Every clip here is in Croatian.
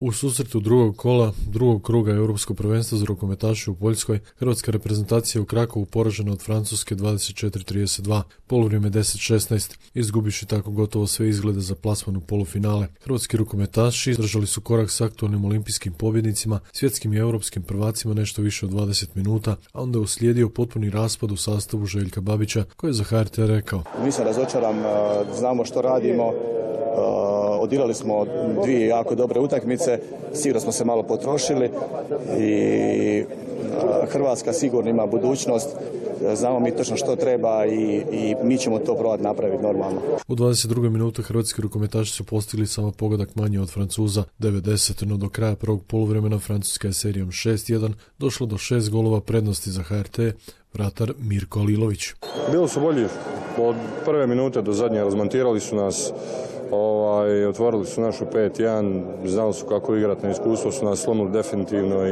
U susretu drugog kola, drugog kruga Europskog prvenstva za rukometaše u Poljskoj, hrvatska reprezentacija u Krakovu poražena od Francuske 24-32, polovrijeme 10-16, izgubiši tako gotovo sve izglede za plasman u polufinale. Hrvatski rukometaši držali su korak s aktualnim olimpijskim pobjednicima, svjetskim i europskim prvacima nešto više od 20 minuta, a onda je uslijedio potpuni raspad u sastavu Željka Babića, koji je za HRT rekao: Nisam razočaran, znamo što radimo. Odigrali smo dvije jako dobre utakmice, sigurno smo se malo potrošili i Hrvatska sigurno ima budućnost. Znamo mi točno što treba i mi ćemo to probati napraviti normalno. U 22. minutu hrvatski rukometaši su postigli samo pogodak manje od Francuza 90, no do kraja prvog poluvremena Francuska je serijom 6-1 došla do 6 golova prednosti za HRT, vratar Mirko Alilović. Bili su bolji od prve minute do zadnje, razmontirali su nas, otvorili su našu 5-1, znali su kako igrati, na iskustvo su nas slomili definitivno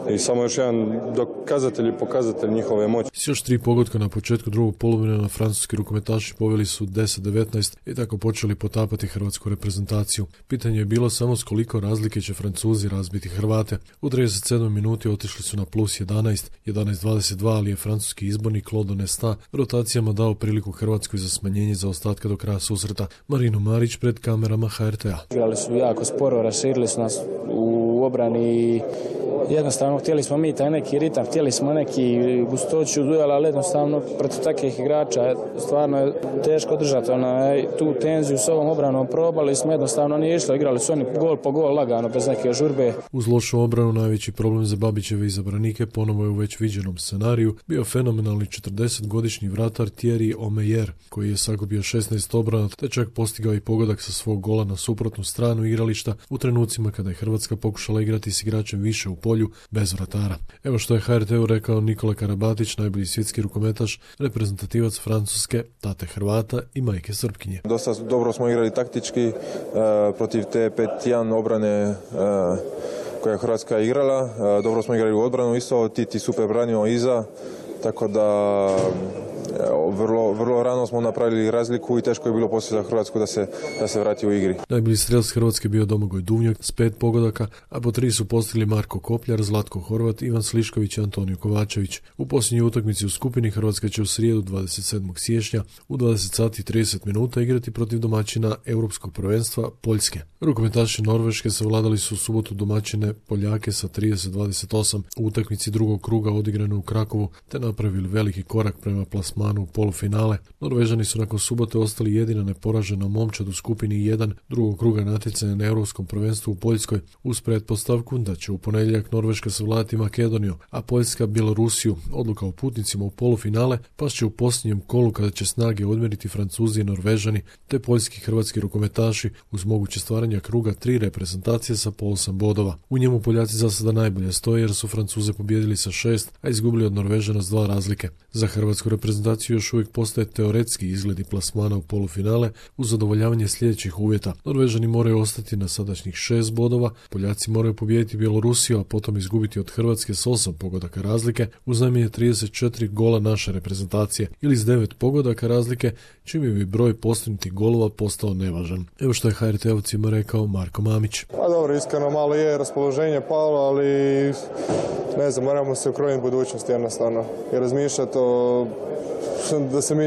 i samo još jedan dokazatelj i pokazatelj njihove moći. S još 3 pogotka na početku drugog poluvremena francuski rukometaši poveli su 10-19 i tako počeli potapati hrvatsku reprezentaciju. Pitanje je bilo samo s koliko razlike će Francuzi razbiti Hrvate. U 37. minuti otišli su na plus 11, 11-22, ali je francuski izbornik Claude Nesta rotacijama dao priliku Hrvatskoj za smanjenje zaostatka do kraja susreta. Marino Marić pred kamerama HRT-a. Igrali su jako sporo, raširili su nas u obrani. Jednostavno htjeli smo mi taj neki ritam, htjeli smo neki gustoću duela, ali jednostavno protiv takvih igrača stvarno je teško držati tu tenziju s ovom obranom. Probali smo, jednostavno nije išlo, igrali su oni gol po gol lagano, bez neke žurbe. Uz lošu obranu najveći problem za Babićeve izabranike ponovo je u već viđenom scenariju bio fenomenalni 40-godišnji vratar Thierry Omeyer, koji je sakupio 16 obrana te čak postigao i pogodak sa svog gola na suprotnu stranu igrališta u trenucima kada je Hrvatska pokušala igrati s igračem više u polju bez vratara. Evo što je HRT-u rekao Nikola Karabatić, najbolji svjetski rukometaš, reprezentativac Francuske, tate Hrvata i majke Srpkinje. Dosta dobro smo igrali taktički protiv te 5-1 obrane koja je Hrvatska igrala. Dobro smo igrali u odbranu isto, Titi super branio iza, tako da vrlo rano smo napravili razliku i teško je bilo poslije za Hrvatsku da se vrati u igri. Najbolji strelac Hrvatske bio Domagoj Duvnjak s 5 pogodaka, a po 3 su postigli Marko Kopljar, Zlatko Horvat, Ivan Slišković i Antonio Kovačević. U posljednjoj utakmici u skupini Hrvatska će u srijedu 27. siječnja u 20:30 igrati protiv domaćina Europskog prvenstva Poljske. Rukometaši Norveške savladali su u subotu domaćine Poljake sa 30-28 u utakmici drugog kruga odigrane u Krakovu te napravili veliki korak prema plasmanu u polufinale. Norvežani su nakon subote ostali jedina neporažena momčad u skupini 1 drugog kruga natjecanja na Europskom prvenstvu u Poljskoj uz pretpostavku da će u ponedjeljak Norveška savladati Makedoniju, a Poljska Bjelorusiju. Odluka o putnicima u polufinale pas će u posljednjem kolu kada će snage odmjeriti Francuzi i Norvežani te poljski hrvatski rukometaši uz moguće stvaranja kruga 3 reprezentacije sa po 8 bodova. U njemu Poljaci za sada najbolje stoje jer su Francuze pobijedili sa 6, a izgubili od Norvežana s 2 razlike. Za hrvatsku reprezentaciju još uvijek postaje teoretski izgledi plasmana u polufinale uz zadovoljavanje sljedećih uvjeta. Norvežani moraju ostati na sadašnjih 6 bodova, Poljaci moraju pobijediti Bjelorusiju, a potom izgubiti od Hrvatske s 8 pogodaka razlike uz najmanje 34 gola naše reprezentacije ili s 9 pogodaka razlike, čime bi broj postignutih golova postao nevažan. Evo što je HRT-ovcima rekao Marko Mamić. Pa dobro, iskreno malo je raspoloženje palo, ali ne znam, moramo se ukrojiti budućnosti jednostavno i razmišljati da se mi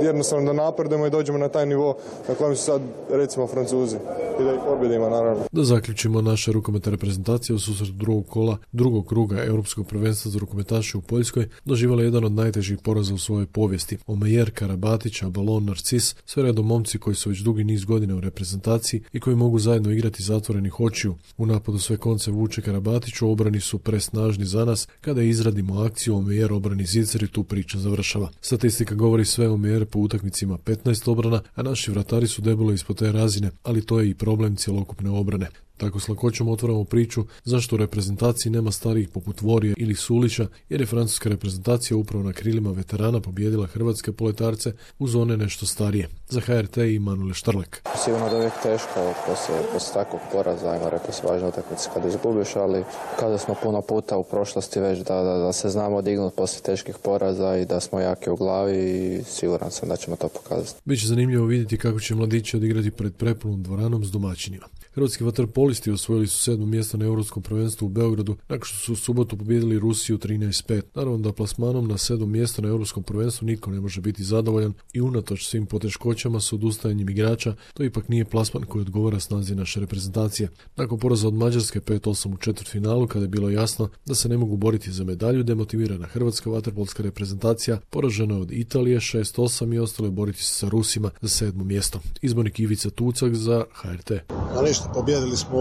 jednostavno da napredujemo i dođemo na taj nivo na kojem su sad recimo Francuzi i da ih pobjedimo naravno. Da zaključimo, naša rukometna reprezentacija u susretu drugog kola drugog kruga Europskog prvenstva za rukometaše u Poljskoj doživjela jedan od najtežih poraza u svojoj povijesti. Omeyer, Karabatić, Abalon, Narcis, sve redom momci koji su već dugi niz godina u reprezentaciji i koji mogu zajedno igrati zatvorenih očiju. U napadu sve konce vuče Karabatić, u obrani su presnažni za nas. Kada izradimo akciju, Omeyer obrani zicer i tu priča završava. Statistika govori sve. Omeyer po utakmicima 15 obrana, a naši vratari su debelo ispod te razine, ali to je i problem cjelokupne obrane. Tako s lakoćom otvaramo priču zašto u reprezentaciji nema starijih poput Vorije ili Sulića, jer je francuska reprezentacija upravo na krilima veterana pobijedila hrvatske poletarce uz one nešto starije. Za HRT i Manuel Štrlek. Sigurno da je uvijek teško poslije takvog poraza, ajmo rekao se važno utakmice kada izgubiš, ali kada smo puno puta u prošlosti već da se znamo dignuti poslije teških poraza i da smo jaki u glavi i siguran sam da ćemo to pokazati. Biće zanimljivo vidjeti kako će mladići odigrati pred prepunom dvoranom s domaćinima. Hrvatski vaterpolisti osvojili su 7. mjesto na Europskom prvenstvu u Beogradu nakon što su u subotu pobijedili Rusiju 13:5. Naravno da plasmanom na 7. mjesto na Europskom prvenstvu nitko ne može biti zadovoljan i unatoč svim poteškoćama s odustajanjem igrača, to ipak nije plasman koji odgovara snazi naše reprezentacije. Nakon poraza od Mađarske 5:8 u četvrtfinalu, kada je bilo jasno da se ne mogu boriti za medalju, demotivirana hrvatska vaterpolska reprezentacija poražena je od Italije 6:8 i ostalo je boriti se sa Rusima za 7. mjesto. Izbornik Ivica Tucak za HRT. A ništa, pobjedili smo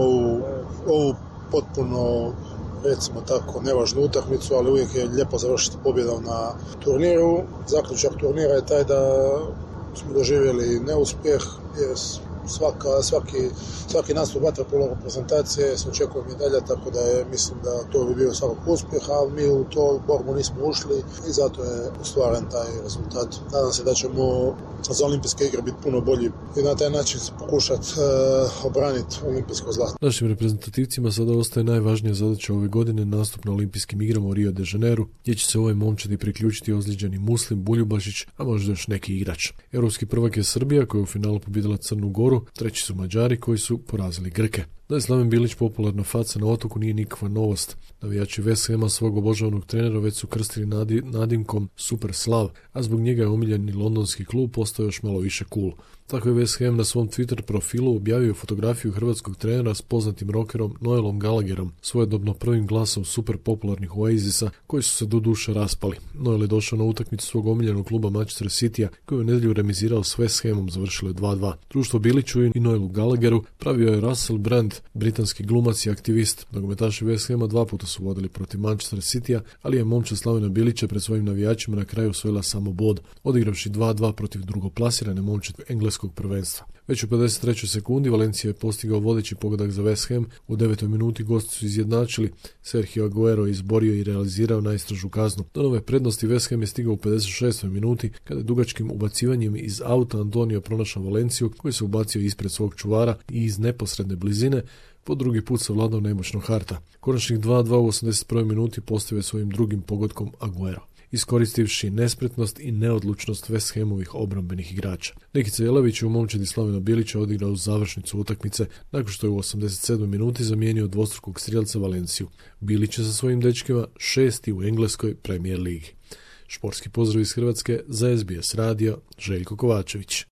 ovu potpuno, recimo tako, nevažnu utakmicu, ali uvijek je lijepo završiti pobjedom na turniru. Zaključak turnira je taj da smo doživjeli neuspjeh, jer svaki nastup vaterpolo reprezentacije se očekuje medalja, tako da mislim da to bi bio svakog uspjeh, a mi u to borbu nismo ušli i zato je ostvaren taj rezultat. Nadam se da ćemo za olimpijske igre biti puno bolji i na taj način pokušati obraniti olimpijsko zlato. Našim reprezentativcima sada ostaje najvažnija zadaća ove godine nastup na olimpijskim igrama u Rio de Janeiro, gdje će se ovoj momčadi priključiti ozlijeđeni Muslim, Buljubašić, a možda još neki igrač. Europski prvak je Srbija, koja je u finalu pobijedila Crnu Goru, treći su Mađari koji su porazili Grke. Da je Slaven Bilić popularna faca na otoku nije nikakva novost. Navijači West Hama svog obožavanog trenera već su krstili nadimkom Super Slav, a zbog njega je omiljeni londonski klub postao još malo više cool. Tako je West Ham na svom Twitter profilu objavio fotografiju hrvatskog trenera s poznatim rockerom Noelom Gallagherom, svojedobno prvim glasom super popularnih Oasisa, koji su se do duše raspali. Noel je došao na utakmicu svog omiljenog kluba Manchester Citya, koji je u nedjelju remizirao s West Hamom, završilo je 2:2. Društvo Biliću i Noelu Gallagheru pravio je Russell Brand, britanski glumac i aktivist. Nogometaši West Hama 2 puta su vodili protiv Manchester Citya, ali je momčad Slavena Bilića pred svojim navijačima na kraju osvojila samo bod, odigravši 2:2 protiv drugoplasirane momčad engleskog prvenstva. Već u 53. sekundi Valencia je postigao vodeći pogodak za West Ham. U 9. minuti gosti su izjednačili. Sergio Aguero je izborio i realizirao najstrožu kaznu. Do nove prednosti West Ham je stigao u 56. minuti kada je dugačkim ubacivanjem iz auta Antonio pronašao Valenciju, koji se ubacio ispred svog čuvara i iz neposredne blizine po drugi put savladao nemoćnog Harta. Konačnih 2:2 u 81. minuti postavio svojim drugim pogodkom Aguero, iskoristivši nespretnost i neodlučnost West Hamovih obrambenih igrača. Nikica Jelavić u momčadi Slavena Bilića odigrao u završnicu utakmice nakon što je u 87. minuti zamijenio dvostrukog strijelca Valenciju. Bilić je sa svojim dečkima 6. u engleskoj Premier ligi. Športski pozdrav iz Hrvatske za SBS radio, Željko Kovačević.